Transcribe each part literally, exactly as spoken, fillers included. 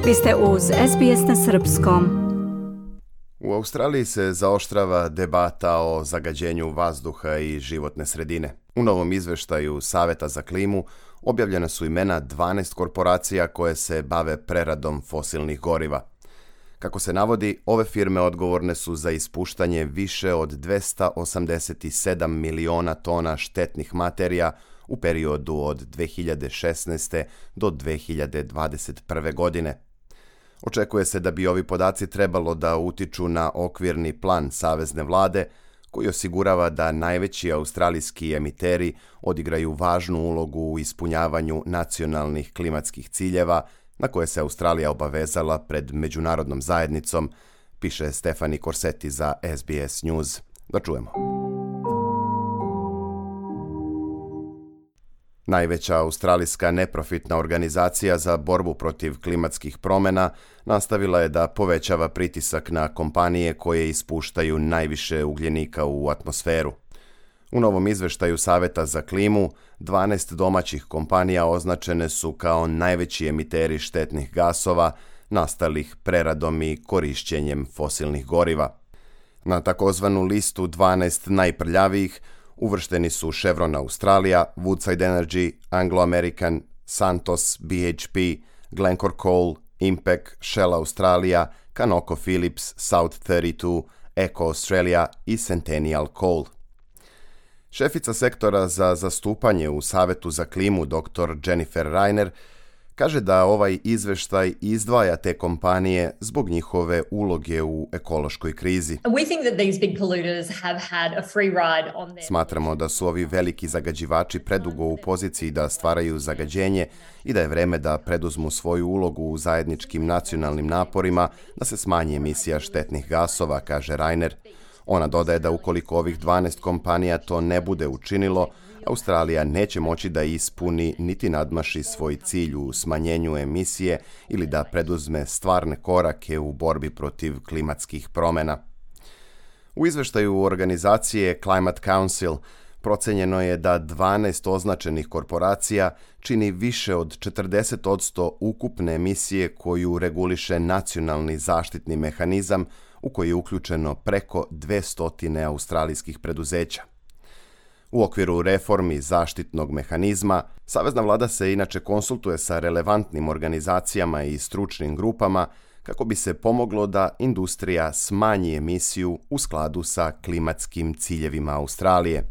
Vi ste uz S B S na srpskom. U Australiji se zaoštrava debata o zagađenju vazduha i životne sredine. U novom izveštaju Saveta za klimu objavljena su imena dvanaest korporacija koje se bave preradom fosilnih goriva. Kako se navodi, ove firme odgovorne su za ispuštanje više od dvesta osamdeset sedam miliona tona štetnih materija u periodu od dve hiljade šesnaeste. do dve hiljade dvadeset prve. godine. Očekuje se da bi ovi podaci trebalo da utiču na okvirni plan savezne vlade, koji osigurava da najveći australijski emiteri odigraju važnu ulogu u ispunjavanju nacionalnih klimatskih ciljeva na koje se Australija obavezala pred međunarodnom zajednicom, piše Stefani Corsetti za S B S News. Da čujemo. Najveća australijska neprofitna organizacija za borbu protiv klimatskih promjena nastavila je da povećava pritisak na kompanije koje ispuštaju najviše ugljenika u atmosferu. U novom izveštaju Saveta za klimu, dvanaest domaćih kompanija označene su kao najveći emiteri štetnih gasova nastalih preradom i korišćenjem fosilnih goriva. Na takozvanu listu dvanaest najprljavijih uvršteni su Chevron Australia, Woodside Energy, Anglo American, Santos, B H P, Glencore Coal, Impec, Shell Australia, ConocoPhillips, South trideset dva, Eco Australia i Centennial Coal. Šefica sektora za zastupanje u Savetu za klimu dr Jennifer Rainer kaže da ovaj izveštaj izdvaja te kompanije zbog njihove uloge u ekološkoj krizi. Smatramo da su ovi veliki zagađivači predugo u poziciji da stvaraju zagađenje i da je vreme da preduzmu svoju ulogu u zajedničkim nacionalnim naporima da se smanji emisija štetnih gasova, kaže Rainer. Ona dodaje da ukoliko ovih dvanaest kompanija to ne bude učinilo, Australija neće moći da ispuni niti nadmaši svoj cilj u smanjenju emisije ili da preduzme stvarne korake u borbi protiv klimatskih promjena. U izveštaju organizacije Climate Council procenjeno je da dvanaest označenih korporacija čini više od četrdeset posto ukupne emisije koju reguliše nacionalni zaštitni mehanizam u koji je uključeno preko dvesta australijskih preduzeća. U okviru reformi zaštitnog mehanizma, savezna vlada se inače konsultuje sa relevantnim organizacijama i stručnim grupama kako bi se pomoglo da industrija smanji emisiju u skladu sa klimatskim ciljevima Australije.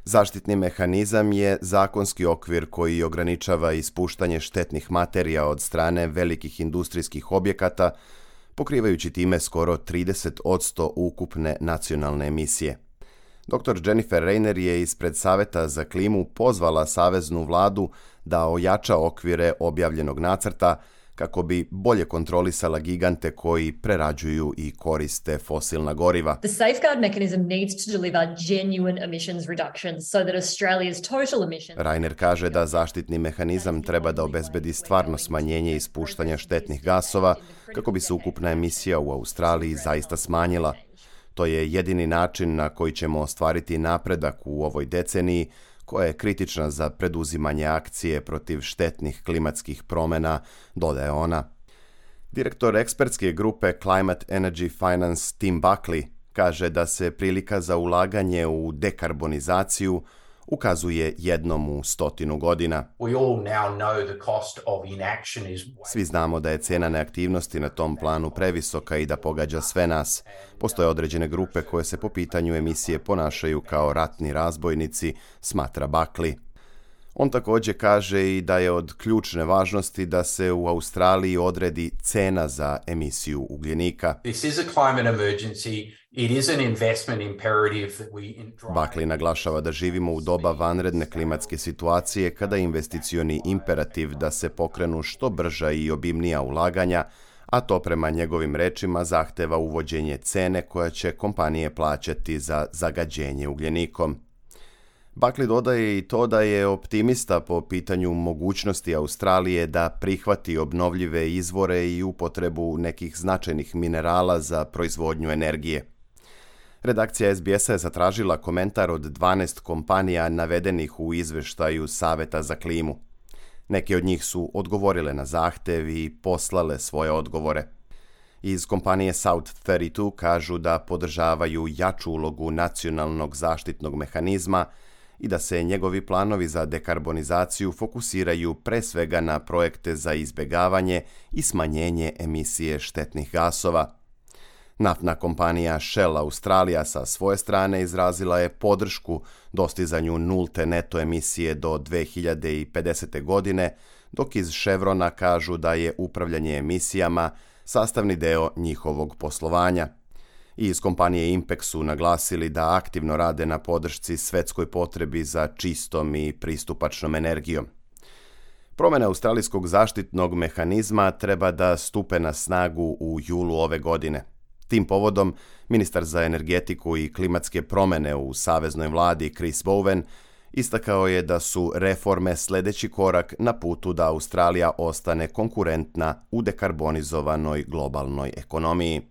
Zaštitni mehanizam je zakonski okvir koji ograničava ispuštanje štetnih materija od strane velikih industrijskih objekata, pokrivajući time skoro trideset posto ukupne nacionalne emisije. dr Jennifer Rainer je ispred Saveta za klimu pozvala saveznu vladu da ojača okvire objavljenog nacrta kako bi bolje kontrolisala gigante koji prerađuju i koriste fosilna goriva. The safeguard mechanism needs to deliver genuine emissions reductions so that Australia's total emissions. Rainer kaže da zaštitni mehanizam treba da obezbedi stvarno smanjenje ispuštanja štetnih gasova kako bi se ukupna emisija u Australiji zaista smanjila. To je jedini način na koji ćemo ostvariti napredak u ovoj deceniji koja je kritična za preduzimanje akcije protiv štetnih klimatskih promjena, dodaje ona. Direktor ekspertske grupe Climate Energy Finance Tim Buckley kaže da se prilika za ulaganje u dekarbonizaciju ukazuje jednom u stotinu godina. Svi znamo da je cena neaktivnosti na tom planu previsoka i da pogađa sve nas. Postoje određene grupe koje se po pitanju emisije ponašaju kao ratni razbojnici, smatra Buckley. On također kaže i da je od ključne važnosti da se u Australiji odredi cena za emisiju ugljenika. This is a climate emergency. It is an investment imperative that we Buckley naglašava da živimo u doba vanredne klimatske situacije kada je investicioni imperativ da se pokrenu što brža i obimnija ulaganja, a to prema njegovim rečima zahteva uvođenje cene koja će kompanije plaćati za zagađenje ugljenikom. Buckley dodaje i to da je optimista po pitanju mogućnosti Australije da prihvati obnovljive izvore i upotrebu nekih značajnih minerala za proizvodnju energije. Redakcija S B S-a je zatražila komentar od dvanaest kompanija navedenih u izveštaju Saveta za klimu. Neke od njih su odgovorile na zahtev i poslale svoje odgovore. Iz kompanije South trideset dva kažu da podržavaju jaču ulogu nacionalnog zaštitnog mehanizma i da se njegovi planovi za dekarbonizaciju fokusiraju pre svega na projekte za izbjegavanje i smanjenje emisije štetnih gasova. Naftna kompanija Shell Australija sa svoje strane izrazila je podršku dostizanju nulte neto emisije do dve hiljade pedesete. godine, dok iz Chevrona kažu da je upravljanje emisijama sastavni deo njihovog poslovanja. I iz kompanije Impex su naglasili da aktivno rade na podršci svetskoj potrebi za čistom i pristupačnom energijom. Promjene australijskog zaštitnog mehanizma treba da stupe na snagu u julu ove godine. Tim povodom, ministar za energetiku i klimatske promjene u saveznoj vladi Chris Bowen istakao je da su reforme sljedeći korak na putu da Australija ostane konkurentna u dekarbonizovanoj globalnoj ekonomiji.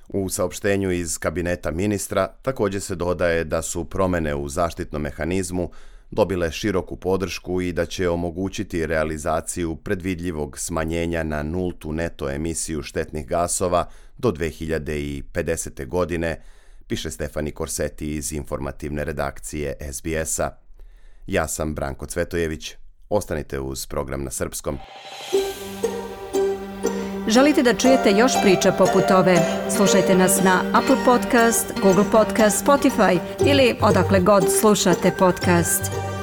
U saopštenju iz kabineta ministra također se dodaje da su promjene u zaštitnom mehanizmu dobile široku podršku i da će omogućiti realizaciju predvidljivog smanjenja na nultu neto emisiju štetnih gasova do dve hiljade pedesete. godine, piše Stefani Korseti iz informativne redakcije S B S-a. Ja sam Branko Cvetojević. Ostanite uz program na srpskom. Želite da čujete još priča poput ove? Slušajte nas na Apple Podcast, Google Podcast, Spotify ili odakle god slušate podcast.